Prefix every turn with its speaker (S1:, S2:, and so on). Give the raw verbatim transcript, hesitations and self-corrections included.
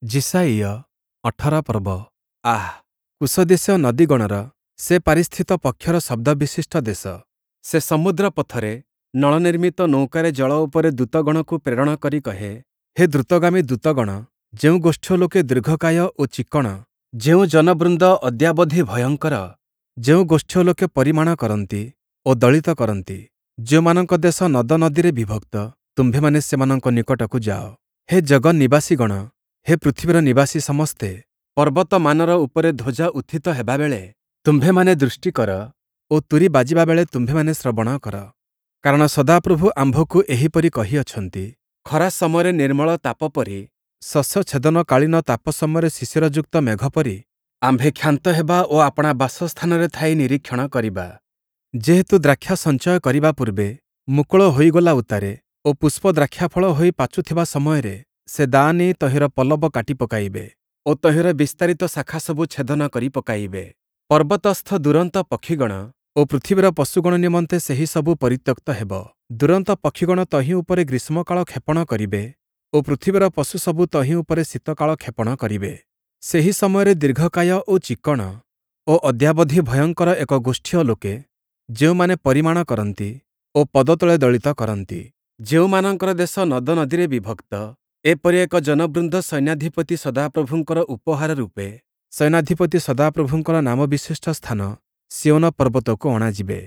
S1: ଯିଶାଇୟ ଅଠର ପର୍ବ। ଆଃ! କୂଶଦେଶୀୟ ନଦୀଗଣର ସେପାରିସ୍ଥିତ ପକ୍ଷର ଶବ୍ଦବିଶିଷ୍ଟ ଦେଶ! ସେ ସମୁଦ୍ର ପଥରେ ନଳନିର୍ମିତ ନୌକାରେ ଜଳ ଉପରେ ଦୂତଗଣକୁ ପ୍ରେରଣ କରି କହେ, ହେ ଦ୍ରୁତଗାମୀ ଦୂତଗଣ, ଯେଉଁ ଗୋଷ୍ଠୀୟ ଲୋକେ ଦୀର୍ଘକାୟ ଓ ଚିକ୍କଣ, ଯେଉଁ ଜନବୃନ୍ଦ ଅଦ୍ୟାବଧି ଭୟଙ୍କର, ଯେଉଁ ଗୋଷ୍ଠୀୟ ଲୋକେ ପରିମାଣ କରନ୍ତି ଓ ଦଳିତ କରନ୍ତି, ଯେଉଁମାନଙ୍କ ଦେଶ ନଦନଦୀରେ ବିଭକ୍ତ, ତୁମ୍ଭେମାନେ ସେମାନଙ୍କ ନିକଟକୁ ଯାଅ। ହେ ଜଗନ୍ନିବାସୀଗଣ, ହେ ପୃଥିବୀର ନିବାସୀ ସମସ୍ତେ, ପର୍ବତମାନର ଉପରେ ଧ୍ୱଜା ଉତ୍ଥିତ ହେବା ବେଳେ ତୁମ୍ଭେମାନେ ଦୃଷ୍ଟି କର ଓ ତୂରୀ ବାଜିବା ବେଳେ ତୁମ୍ଭେମାନେ ଶ୍ରବଣ କର। କାରଣ ସଦାପ୍ରଭୁ ଆମ୍ଭକୁ ଏହିପରି କହିଅଛନ୍ତି, ଖରା ସମୟରେ ନିର୍ମଳ ତାପ ପରି, ଶସ୍ୟ ଛେଦନକାଳୀନ ତାପ ସମୟରେ ଶିଶିରଯୁକ୍ତ ମେଘ ପରି ଆମ୍ଭେ କ୍ଷାନ୍ତ ହେବା ଓ ଆପଣା ବାସସ୍ଥାନରେ ଥାଇ ନିରୀକ୍ଷଣ କରିବା। ଯେହେତୁ ଦ୍ରାକ୍ଷା ସଞ୍ଚୟ କରିବା ପୂର୍ବେ ମୁକୁଳ ହୋଇଗଲା ଉତ୍ତାରେ ଓ ପୁଷ୍ପ ଦ୍ରାକ୍ଷାଫଳ ହୋଇ ପାଚୁଥିବା ସମୟରେ ସେ ଦାଆ ନେଇ ତହିଁର ପଲ୍ଲବ କାଟି ପକାଇବେ ଓ ତହିଁର ବିସ୍ତାରିତ ଶାଖାସବୁ ଛେଦନ କରି ପକାଇବେ। ପର୍ବତସ୍ଥ ଦୁରନ୍ତ ପକ୍ଷିଗଣ ଓ ପୃଥିବୀର ପଶୁଗଣ ନିମନ୍ତେ ସେହି ସବୁ ପରିତ୍ୟକ୍ତ ହେବ। ଦୁରନ୍ତ ପକ୍ଷିଗଣ ତହିଁ ଉପରେ ଗ୍ରୀଷ୍ମକାଳ କ୍ଷେପଣ କରିବେ ଓ ପୃଥିବୀର ପଶୁସବୁ ତହିଁ ଉପରେ ଶୀତକାଳ କ୍ଷେପଣ କରିବେ। ସେହି ସମୟରେ ଦୀର୍ଘକାୟ ଓ ଚିକ୍କଣ ଓ ଅଦ୍ୟାବଧି ଭୟଙ୍କର ଏକ ଗୋଷ୍ଠୀୟ ଲୋକେ, ଯେଉଁମାନେ ପରିମାଣ କରନ୍ତି ଓ ପଦତଳେ ଦଳିତ କରନ୍ତି, ଯେଉଁମାନଙ୍କର ଦେଶ ନଦନଦୀରେ ବିଭକ୍ତ, ଏପରି ଏକ ଜନବୃନ୍ଦ ସୈନ୍ୟାଧିପତି ସଦାପ୍ରଭୁଙ୍କର ଉପହାର ରୂପେ ସୈନ୍ୟାଧିପତି ସଦାପ୍ରଭୁଙ୍କର ନାମବିଶିଷ୍ଟ ସ୍ଥାନ ସିୟୋନ ପର୍ବତକୁ ଅଣାଯିବେ।